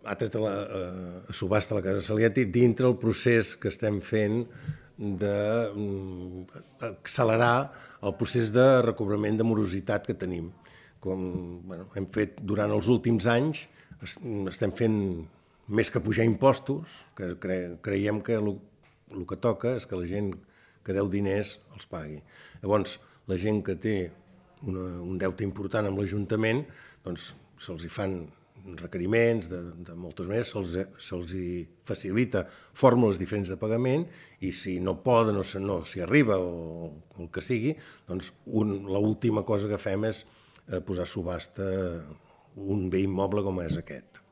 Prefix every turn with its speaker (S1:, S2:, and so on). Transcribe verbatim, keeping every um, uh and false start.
S1: ha tret a, la, a subhasta la Casa Saliati dintre el procés que estem fent d'accelerar el procés de recobrament de morositat que tenim. Com bueno, hem fet durant els últims anys, estem fent més que pujar impostos, que cre creiem que el, el que toca és que la gent que deu diners els pagui. Llavors, la gent que té una, un deute important amb l'Ajuntament, doncs se'ls hi fan requeriments de, de moltes maneres, se'ls se hi facilita fórmules diferents de pagament i si no poden o si no s'hi arriba o, o el que sigui, doncs l'última cosa que fem és eh, posar a subhasta un bé immoble com és aquest.